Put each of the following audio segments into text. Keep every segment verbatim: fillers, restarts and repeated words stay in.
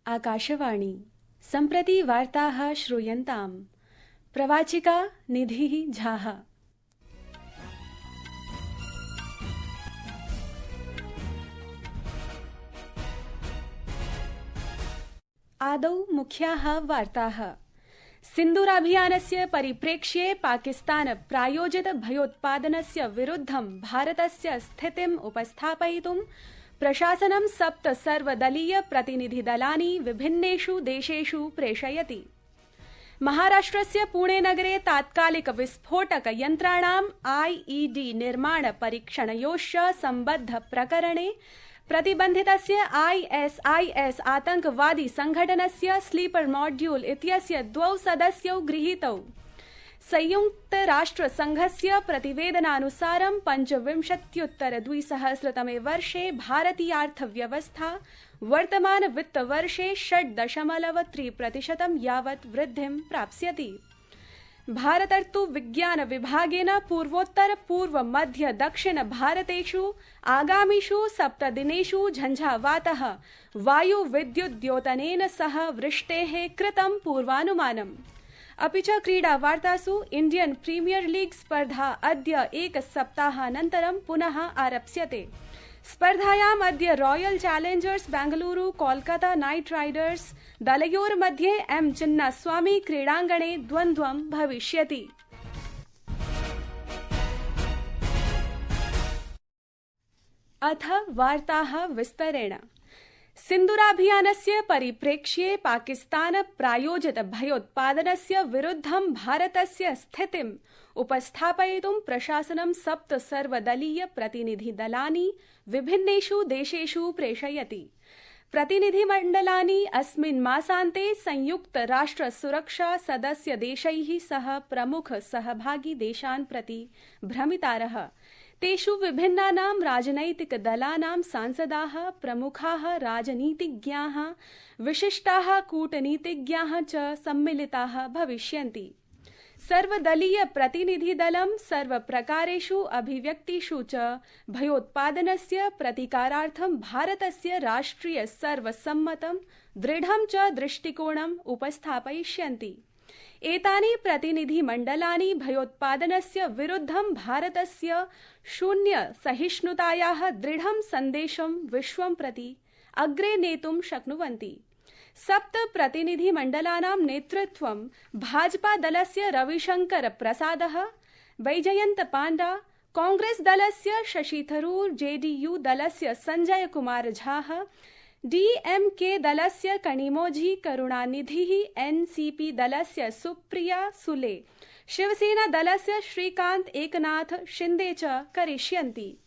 आकाशवाणी सम्प्रति वार्ताः श्रूयन्ताम्। प्रवाचिका निधिः झाः। आदौ मुख्याः वार्ताः। सिन्दूराभियानस्य परिप्रेक्ष्ये पाकिस्तान प्रायोजित भयोत्पादनस्य विरुद्धं भारतस्य स्थितिम् उपस्थापयितुं प्रशासनं सप्त सर्वदलीय प्रतिनिधिदलानि विभिन्नेषु देशेषु प्रेषयति। महाराष्ट्रस्य पुणे नगरे तात्कालिक विस्फोटक यन्त्राणाम् आईईडी निर्माण परीक्षणयोश्च सम्बद्ध प्रकरणे प्रतिबन्धितस्य आईएसआईएस आतंकवादी संघटनस्य स्लीपर मॉड्यूल इत्यस्य द्वौ सदस्यौ गृहीतौ। संयुक्तराष्ट्रसंघस्य प्रतिवेदनानुसारं पञ्चविंशत्युत्तर द्विसहस्रतमे वर्षे भारतीयार्थव्यवस्था वर्तमान वित्तवर्षे षट् दशमलव त्रि प्रतिशतं यावत् वृद्धिं प्राप्स्यति। भारतर्तु विज्ञान विभागेन पूर्वोत्तर पूर्व मध्य दक्षिण भारतेषु आगामिषु सप्तदिनेषु झञ्झावातः वायु विद्युद्योतनेन सह वृष्टेः कृतं पूर्वानुमानम्। अपि च क्रीडावार्तासु इण्डियन् प्रीमियर लीग स्पर्धा अद्य एकसप्ताहानन्तरं पुनः आरप्स्यते। स्पर्धायाम् अद्य royal challengers Bengaluru Kolkata knight riders दलयोर्मध्ये एम चिन्नास्वामी क्रीडाङ्गणे द्वन्द्वं भविष्यति। अथ वार्ताः विस्तरेण। सिन्दूराभियानस्य परिप्रेक्ष्ये पाकिस्तान प्रायोजित भयोत्पादनस्य विरुद्धं भारतस्य स्थितिम् उपस्थापयितुं प्रशासनं सप्त सर्वदलीय प्रतिनिधिदलानि विभिन्नेषु देशेषु प्रेषयति। प्रतिनिधिमण्डलानि अस्मिन् मासान्ते संयुक्त राष्ट्र सुरक्षा सदस्य देशैः सह प्रमुख सहभागी देशान् प्रति भ्रमितारः। तेषु विभिन्नानां राजनैतिक दलानां सांसदाः, प्रमुखाः राजनीतिज्ञाः, विशिष्टाः कूटनीतिज्ञाः च सम्मिलिताः भविष्यन्ति। सर्वदलीय प्रतिनिधिदलं सर्वप्रकारेषु अभिव्यक्तिषु च भयोत्पादनस्य प्रतिकारार्थं भारतस्य राष्ट्रिय सर्वसम्मतं दृढं च दृष्टिकोणम् उपस्थापयिष्यन्ति। एतानि प्रतिनिधिमण्डलानि भयोत्पादनस्य विरुद्धं भारतस्य शून्य सहिष्णुतायाः दृढं सन्देशं विश्वं प्रति अग्रे नेतुं शक्नुवन्ति। सप्त प्रतिनिधिमण्डलानां नेतृत्वं भाजपा दलस्य रविशंकर प्रसादः, बैजयन्त पाण्डा, कांग्रेस दलस्य शशि थरूर, जेडीयू दलस्य संजय कुमार झाः, डीएमके दलस्य कनिमोझी करुणानिधिः, एनसीपी दलस्य सुप्रिया सुले, शिवसेना दलस्य श्रीकांत एकनाथ शिंदे च करिष्यन्ति।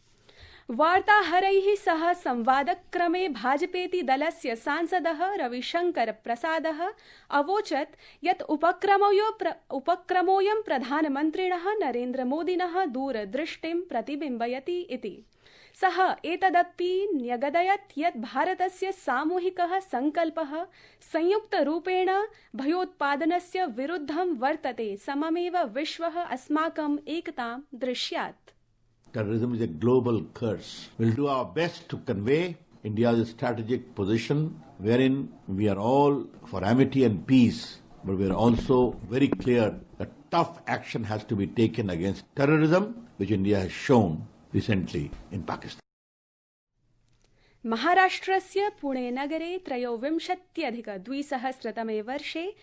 वार्ताहरैः सह संवादक्रमे भाजपेति दलस्य सांसदः रविशंकर प्रसादः अवोचत् यत् उपक्रमोऽयं प्रधानमन्त्रिणः नरेन्द्र मोदिनः दूरदृष्टिं प्रतिबिम्बयति इति। सः एतदपि न्यगदयत् यत् भारतस्य सामूहिकः सङ्कल्पः संयुक्तरूपेण भयोत्पादनस्य विरुद्धं वर्तते, सममेव विश्वः अस्माकम् एकतां दृश्यात्। Terrorism is a global curse. We'll do our best to convey India's strategic position, wherein we are all for amity and peace, but we are also very clear that tough action has to be taken against terrorism, which India has shown recently in Pakistan. महाराष्ट्रस्य पुणे नगरे त्रयोविंशत्यधिक द्विसहस्रतमे वर्षे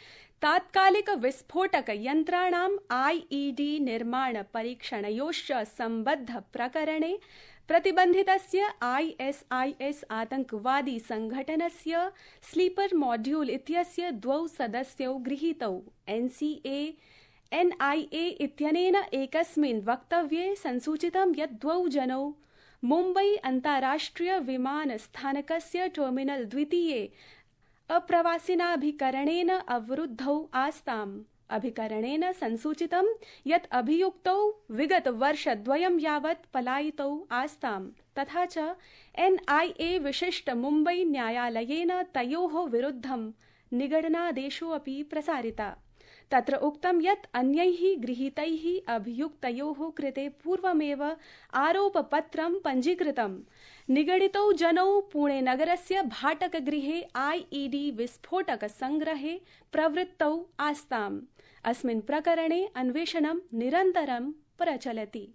तात्कालिक विस्फोटक यन्त्राणाम् IED निर्माण परीक्षणयोश्च सम्बद्ध प्रकरणे प्रतिबन्धितस्य आईएसआईएस आतंकवादी संघटनस्य स्लीपर मॉड्यूल इत्यस्य द्वौ सदस्यौ गृहीतौ। एनसीए एनआईए इत्यनेन एकस्मिन् वक्तव्ये संसूचितं यत् द्वौ जनौ मुम्बई अन्ताराष्ट्रिय विमानस्थानकस्य टर्मिनल द्वितीये अप्रवासिनाभिकरणेन अवरुद्धौ आस्ताम्। अभिकरणेन संसूचितं यत् अभियुक्तौ विगत वर्षद्वयं यावत् पलायितौ आस्ताम्। तथा च एनआईए विशिष्ट मुम्बई न्यायालयेन तयोः विरुद्धं निगडनादेशो अपि प्रसारिता। तत्र उक्तं यत् अन्यैः गृहीतैः अभियुक्तयोः कृते पूर्वमेव आरोपपत्रं पञ्जीकृतम्। निगडितौ जनौ पुणे नगरस्य भाटकगृहे आईईडी विस्फोटक संग्रहे प्रवृत्तौ आस्ताम्। अस्मिन् प्रकरणे अन्वेषणं निरन्तरं प्रचलति।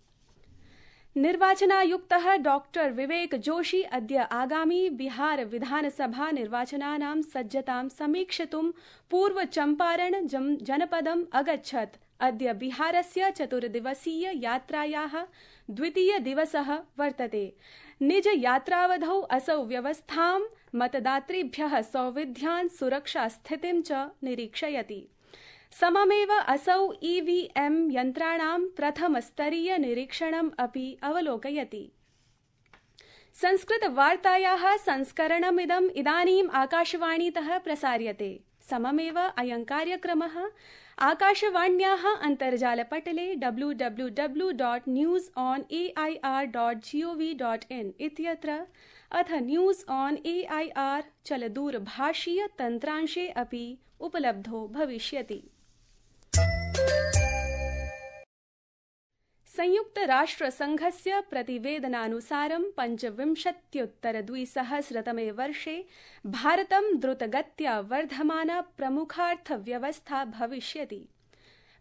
निर्वाचनायुक्तः डॉक्टर विवेक जोशी अद्य आगामी बिहार विधानसभा निर्वाचनानां सज्जतां समीक्षितुं पूर्व चम्पारण जनपदम् अगच्छत्। अद्य बिहारस्य चतुर्दिवसीय यात्रायाः द्वितीय दिवसः वर्तते। निज यात्रावधौ असौ व्यवस्थां, मतदातृभ्यः सौविध्यान्, सुरक्षा स्थितिं च निरीक्षयति। सममेव असौ ईवीएम यन्त्राणां प्रथमस्तरीय निरीक्षणम् अपि अवलोकयति। संस्कृतवार्तायाः संस्करणमिदम् इदानीम् आकाशवाणीतः प्रसार्यते। सममेव अयं कार्यक्रमः आकाशवाण्याः अन्तर्जालपटले W W W dot news on A I R dot G O V dot in इत्यत्र अथ news on A I R चलदूरभाषीय तन्त्रांशे अपि उपलब्धो भविष्यति। संयुक्त राष्ट्र संघस्य प्रतिवेदनानुसारं पञ्चविंशत्युत्तर द्विसहस्रतमे वर्षे भारतं द्रुतगत्या वर्धमाना प्रमुखार्थव्यवस्था भविष्यति।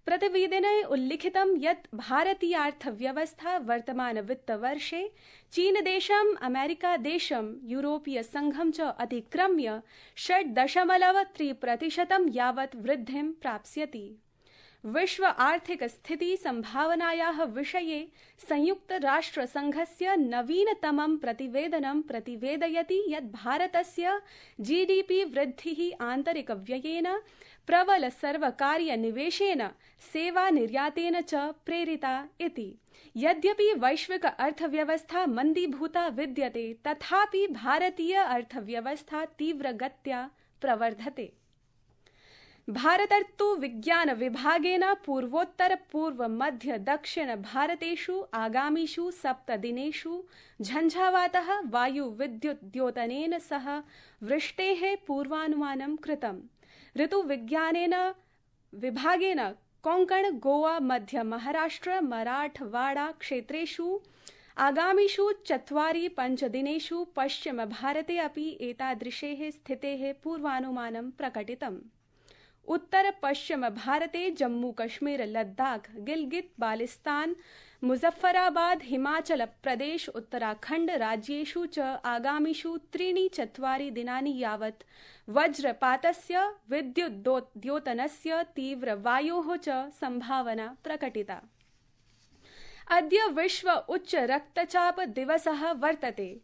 प्रतिवेदने उल्लिखितं यत् भारतीयार्थव्यवस्था वर्तमान वित्तवर्षे चीनदेशं, अमेरिकादेशं, यूरोपीय संघं च अतिक्रम्य षट् दशमलव त्रि प्रतिशतं यावत् वृद्धिं प्राप्स्यति। विश्व आर्थिक स्थिति संभावनायाः विषये संयुक्त राष्ट्र संघस्य नवीनतमं प्रतिवेदनं प्रतिवेदयति यत् भारतस्य जीडीपी वृद्धिः आन्तरिक व्ययेन, प्रबल सर्वकारीय निवेशेन, सेवा निर्यातेन च प्रेरिता इति। यद्यपि वैश्विक अर्थव्यवस्था मन्दीभूता विद्यते, तथापि भारतीय अर्थव्यवस्था तीव्रगत्या प्रवर्धते। भारतर्तु विज्ञान विभागेन पूर्वोत्तर पूर्व मध्य दक्षिण भारतेषु आगामिषु सप्तदिनेषु झञ्झावातः वायु विद्युत् द्योतनेन सह वृष्टेः पूर्वानुमानं कृतम्। ऋतुविज्ञानेन विभागेन कोङ्कण, गोवा, मध्य महाराष्ट्र, मराठवाड़ा क्षेत्रेषु आगामिषु चत्वारि पञ्चदिनेषु पश्चिम भारते अपि एतादृशेः स्थितेः पूर्वानुमानं प्रकटितम्। उत्तर पश्चिम भारते जम्मू कश्मीर, लद्दाख, गिलगित बाल्टिस्तान, मुजफ्फराबाद, हिमाचल प्रदेश, उत्तराखंड राज्येषु च आगामिषु त्रीणि चत्वारि दिनानि यावत् वज्रपातस्य, विद्युद्योतनस्य, तीव्रवायोः च संभावना प्रकटिता। अद्य विश्व उच्च रक्तचाप दिवसः वर्तते।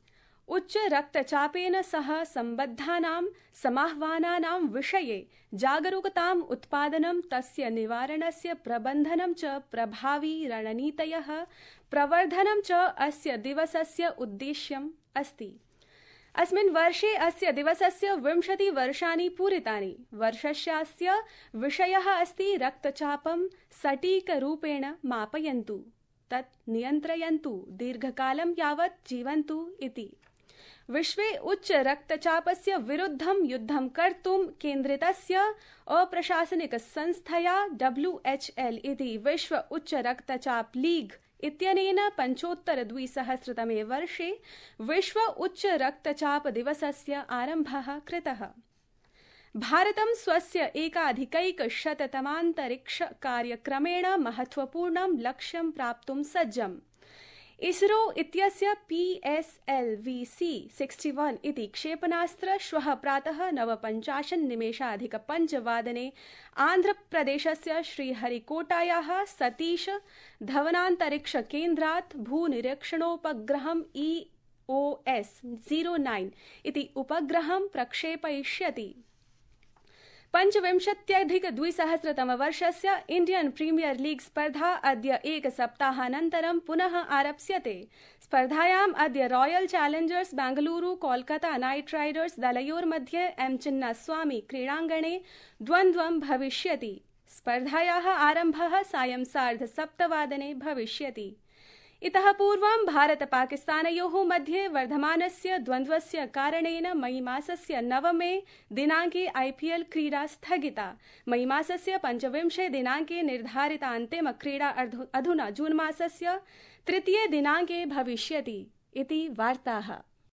उच्च रक्तचापेन सह सम्बद्धानां समाह्वानानां विषये जागरूकताम् उत्पादनं, तस्य निवारणस्य प्रबन्धनं च प्रभावी रणनीतयः प्रवर्धनं च अस्य दिवसस्य उद्देश्यम् अस्ति। अस्मिन् वर्षे अस्य दिवसस्य विंशति वर्षाणि पूरितानि। वर्षस्यास्य विषयः अस्ति रक्तचापं सटीकरूपेण मापयन्तु, तत् नियन्त्रयन्तु, दीर्घकालं यावत् जीवन्तु इति। विश्वे उच्च रक्तचापस्य विरुद्धं युद्धं कर्तुं केन्द्रितस्य अप्रशासनिक संस्थया डब्ल्यू एच एल इति विश्व उच्च रक्तचाप लीग इत्यनेन पञ्चोत्तर द्विसहस्रतमे वर्षे विश्व उच्च रक्तचाप दिवसस्य आरम्भः कृतः। भारतं स्वस्य एकाधिकैकशततमान्तरिक्ष कार्यक्रमेण महत्वपूर्णं लक्ष्यं प्राप्तुं सज्जम्। इसरो इत्यस्य P S L V C इकसठ इति क्षेपणास्त्र श्वः प्रातः नवपञ्चाशत् निमेषाधिक पञ्चवादने आन्ध्रप्रदेशस्य श्रीहरिकोटायाः सतीश धवनान्तरिक्ष केन्द्रात् भूनिरीक्षणोपग्रहम् E O S zero nine इति उपग्रहं प्रक्षेपयिष्यति। पञ्चविंशत्यधिकद्विसहस्रतमवर्षस्य इण्डियन् प्रीमियर लीग स्पर्धा अद्य एकसप्ताहानन्तरं पुनः आरप्स्यते। स्पर्धायाम् अद्य royal challengers Bengaluru Kolkata knight riders दलयोर्मध्ये एम चिन्नास्वामी क्रीडाङ्गणे द्वन्द्वं भविष्यति। स्पर्धायाः आरम्भः सायं सार्धसप्तवादने भविष्यति। इतः पूर्वं भारत पाकिस्तानयोः मध्ये वर्धमानस्य द्वन्द्वस्य कारणेन मई मासस्य नवमे दिनाङ्के आईपीएल क्रीडा स्थगिता। मई मासस्य पञ्चविंशे दिनाङ्के निर्धारिता अन्तिम क्रीडा अधुना जून मासस्य तृतीये दिनाङ्के भविष्यति इति वार्ताः।